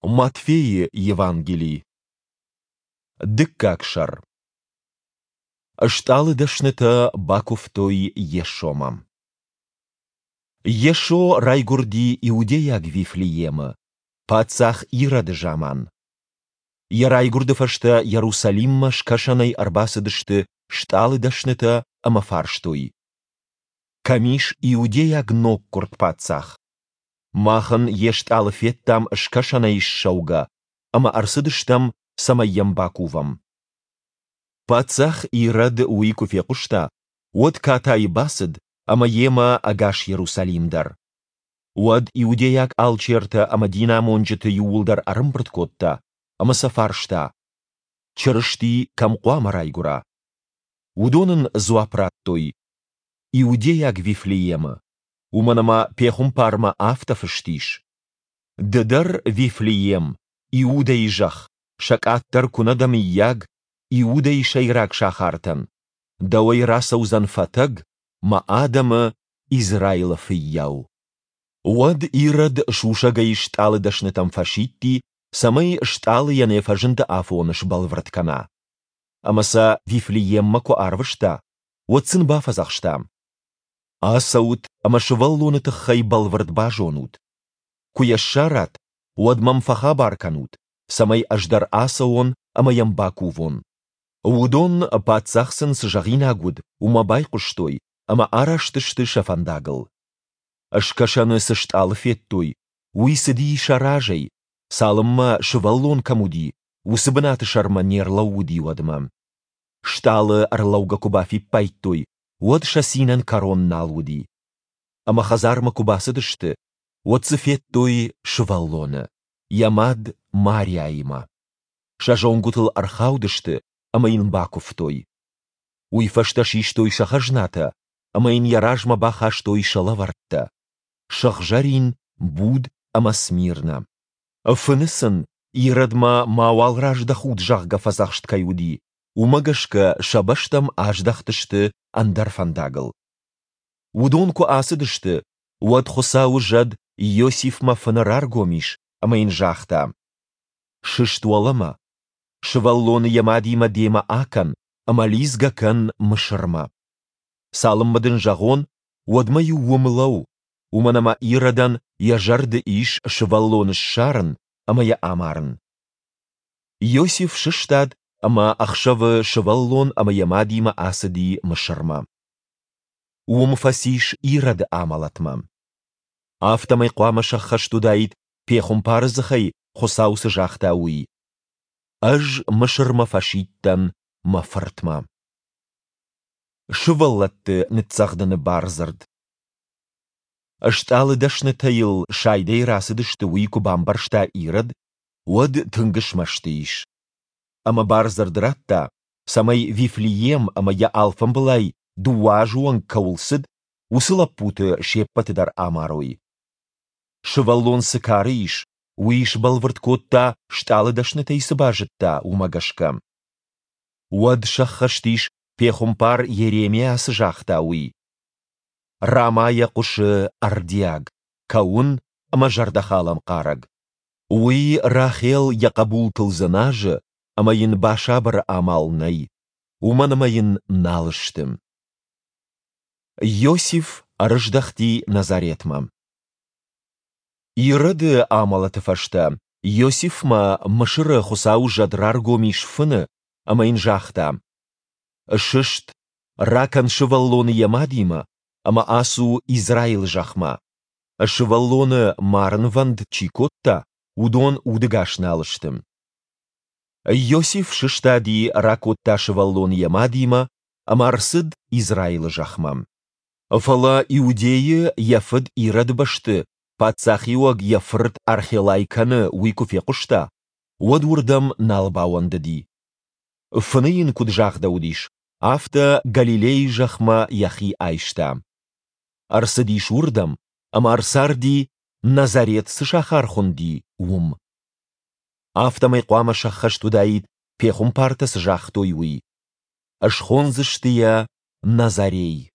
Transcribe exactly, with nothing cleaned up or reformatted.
Матфейы Евангели. Дыккаг сӕр. Стъалыдӕснытӕ бакуывтой Йесомӕ. Йесо райгуырди иудейаг Вифлеемы, паддзах Ироды заман. Йӕ райгуырды фӕстӕ Иерусалиммӕ скӕсӕнӕй ӕрбацыдысты стъалыдӕснытӕ ӕмӕ фарстой: Кӕм ис иудейаг ноггуырд паддзах? Мах ын йе стъалы федтам скӕсӕнӕй ссӕугӕ ӕмӕ ӕрцыдыстӕм, цӕмӕй йӕм бакувӕм. Паддзах Ирод уый куы фехъуыста, уӕд катайы бацыд ӕмӕ йемӕ ӕгас Иерусалим дӕр. Уӕд иудейаг алчертӕ ӕмӕ динамонджыты иууылдӕр ӕрӕмбырд кодта ӕмӕ сӕ фарста: Чырысти кӕм хъуамӕ райгуыра? Уыдон ын дзуапп радтой: Иудейаг Вифлеемы, уымӕн ӕмӕ пехуымпармӕ афтӕ фыст ис: Ды дӕр, Вифлеем, Иудӕйы зӕхх, сӕ къаддӕр куы нӕ дӕ мыййаг, Иудӕйы сӕйраг сахартӕн, дӕуӕй рацӕудзӕн фӕтӕг, мӕ адӕмы, Израилы фыййау. Уӕд Ирод сусӕгӕй стъалыдӕснытӕм фӕсидти, цӕмӕй стъалыйӕн йӕ фӕзынды афон сбӕлвырд кӕна. Ӕмӕ сӕ Вифлееммӕ куы арвыста, уӕд сын бафӕдзӕхста: Ацӕут ӕмӕ сывӕллоны тыххӕй бӕлвырд базонут. Куы йӕ ссарат, уӕд мӕм фӕхабар кӕнут, цӕмӕй ӕз дӕр ацӕуон ӕмӕ йӕм бакувон. Уыдон, паддзах сын цы зӕгъинаг уыд, уымӕ байхъуыстой ӕмӕ араст сты сӕ фӕндагыл. Скӕсӕны цы стъалы федтой, уый цыди сӕ разӕй, цалынмӕ сывӕллон кӕм уыди, уыцы бынаты сӕрмӕ не рлӕууыди, уӕдмӕ. Стъалы ӕрлӕугӕ куы бафиппайдтой, уӕд сӕ цинӕн кӕрон нал уыди. Ӕмӕ хӕдзармӕ куы бацыдысты, уӕд дзы федтой сывӕллоны, йӕ мад Мариаимӕ. Сӕ зонгуытыл ӕрхаудысты ӕмӕ йын бакуывтой. Уый фӕстӕ систой сӕ хӕзнатӕ ӕмӕ йын йӕ размӕ бахастой сӕ лӕвӕрттӕ: сыгъзӕрин, буд ӕмӕ смирнӕ. Фыны сын, Иродмӕ мауал раздӕхут, зӕгъгӕ, фӕдзӕхст кӕй уыди, уымӕ гӕсгӕ сӕ бӕстӕм аздӕхтысты ӕндӕр фӕндагыл. Уыдон куы ацыдысты, уӕд Хуыцауы зӕд Иосифмӕ фыны раргом ис ӕмӕ йын загъта: Сыст уӕлӕмӕ, сывӕллоны йӕ мадимӕ демӕ акӕн ӕмӕ лидзгӕ кӕн Мысырмӕ. Цалынмӕ дын зӕгъон, уӕдмӕ-иу уым лӕуу, уымӕн ӕмӕ Иродӕн йӕ зӕрды ис сывӕллоны ссарын ӕмӕ йӕ амарын. Иосиф сыстад ӕмӕ ӕхсӕвы сывӕллон ӕмӕ йӕ мадимӕ ацыди Мысырмӕ. Уым фӕцис Ироды амӕлӕтмӕ. Афтӕмӕй хъуамӕ сӕххӕст уыдаид, пехуымпары дзыхӕй Хуыцау цы загъта, уый: Ӕз Мысырмӕ фӕсидтӕн мӕ фыртмӕ. Сывӕллӕтты ныццӕгъдыны бардзырд. Стъалыдӕснытӕ йыл сайдӕй рацыдысты, уый куы бамбӕрста Ирод, уӕд тынг смӕсты ис. Ӕмӕ бардзырд радта, цӕмӕй Вифлеем ӕмӕ йӕ алфамбылай дыууӕ азы онг кӕуыл цыд, уыцы лӕппуты се ппӕты дӕр амарой. Сывӕллон цы кары ис, уый сбӕлвырд кодта, стъалыдӕснытӕй цы базыдта, уымӕ гӕсгӕ. Уӕд сӕххӕст ис, пехуымпар Йеремиа цы загъта, уый: Рамайӕ хъуысы ӕрдиаг, кӕуын ӕмӕ зӕрдӕхалӕн хъарӕг. Уый Рахел йӕ хъӕбултыл дзыназы, ӕмӕ йын басабыры амал нӕй, уымӕн ӕмӕ йын нал сты. Иосиф ӕрыздӕхти Назаретмӕ. Ироды амӕлӕты фӕстӕ Иосифмӕ Мысыры Хуыцауы зӕд раргом ис фыны ӕмӕ йын загъта: Сыст, ракӕн сывӕллоны йӕ мадимӕ ӕмӕ ацу Израилы зӕхмӕ. Сывӕллоны марынвӕнд чи кодта, уыдон удӕгас нал сты. Иосиф сыстади, ракодта сывӕллоны йӕ мадимӕ ӕмӕ ӕрцыд Израилы зӕхмӕ. Фӕлӕ Иудейы йӕ фыд Ироды бӕсты паддзахиуӕг йӕ фырт Архелай кӕны, уый куы фехъуыста, уӕд уырдӕм нал бауӕндыди. Фыны йын куыд загъдӕуыдис, афтӕ Галилейы зӕхмӕ йӕхи айста. Ӕрцыдис уырдӕм ӕмӕ ӕрцарди, Назарет цы сахар хуынди, уым. Афтӕмӕй хъуамӕ сӕххӕст уыдаид, пехуымпартӕ цы загътой, уый: Схондзысты йӕ Назорей.